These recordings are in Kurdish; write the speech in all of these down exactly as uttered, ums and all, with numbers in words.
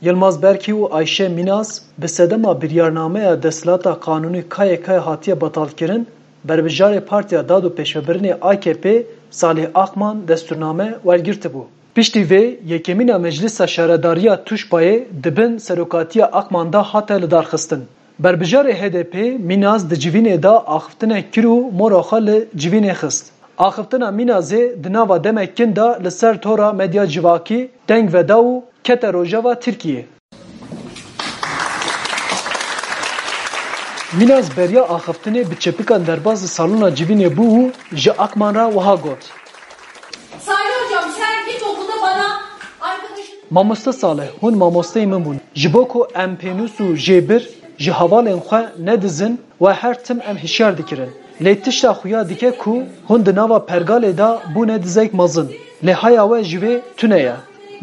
Yilmaz Berkî û Ayşe Mînaz bi sedema biryarnameya desthilata qanûnî K Y K hatiye betalkirin, berbijarê Partiya Dad û Pêşvebirinê A K P Salih Akman destûrname wergirtibû. Piştî vê, yekemîna Meclisa Şaredariya Tuşbayê di bin serokatiya Akman de hate lidarxistin. Berbijarê H D P Mînaz di civînê de axiftinek kir û mora xwe li civînê xist. Axiftina Mînazê di nava demek kin de li ser tora medya civakî deng veda û kete rojeva Tirkiyê. Mînaz beriya axiftinê bi çepikan derbas li salona civînê bû û ji Akman re wiha got. Salih hocam, sen ilkokulda bana arkadaşın... Mamoste Salih, hûn mamosteyê min bûn. Ji bo ku em pênûs û jêbir ji hevalên xwe nedizin, we her tim em hişyar dikirin. Lê tişta xuya dike ku hûn di nava pergalê de bûne dizek mezin. Lê haya we ji vê tune ye.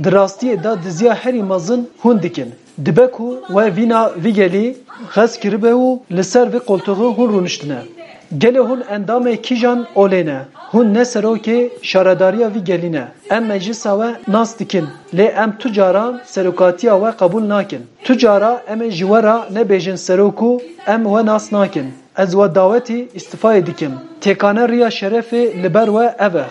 Di rastiyê de diziya herî mezin hûn dikin. Dibe ku we vîna vî gelî xez kiribe û li ser vî qoltuxî hûn rûniştine. Gelê hûn endamê kîjan olê ne? Hûn ne serokê şaredariya vî gelî ne. Em meclisa we nas dikin, lê em tu caran serokatiya we qebûl nakin. Tu cara em ê ji we re nebêjin serok û em we nas nakin. Ez we dawetî îstîfayê dikim. Têkane riya şerefê li ber we ev e.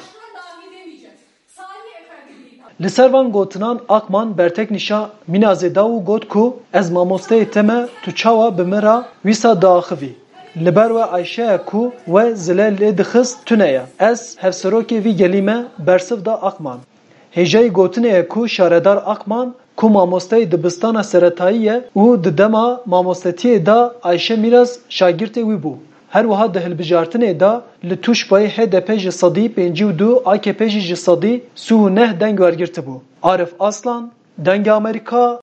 Li ser van gotinan Akman berteknîşa Mînazê da û got ku ez mamosteyê te me, tu çawa bi min re wîsa diaxivî? Li ber we Ayşe ye ku we zile lê dixist tune ye. Ez hevserokê vî gelî me, bersiv da Akman. Hêjayî gotinê ye ku şaredar Akman ku mamosteyê dibistana seretayî ye û di dema mamostetiyê de Ayşe Mîraz şagirtê wî bû. Her wiha di hilbijartinê de li Tuşbayê H D P ji sedî pêncî û du, A K P jî ji sedî sî û neh deng wergirtibû. Arif Aslan, Dengê Amerîka,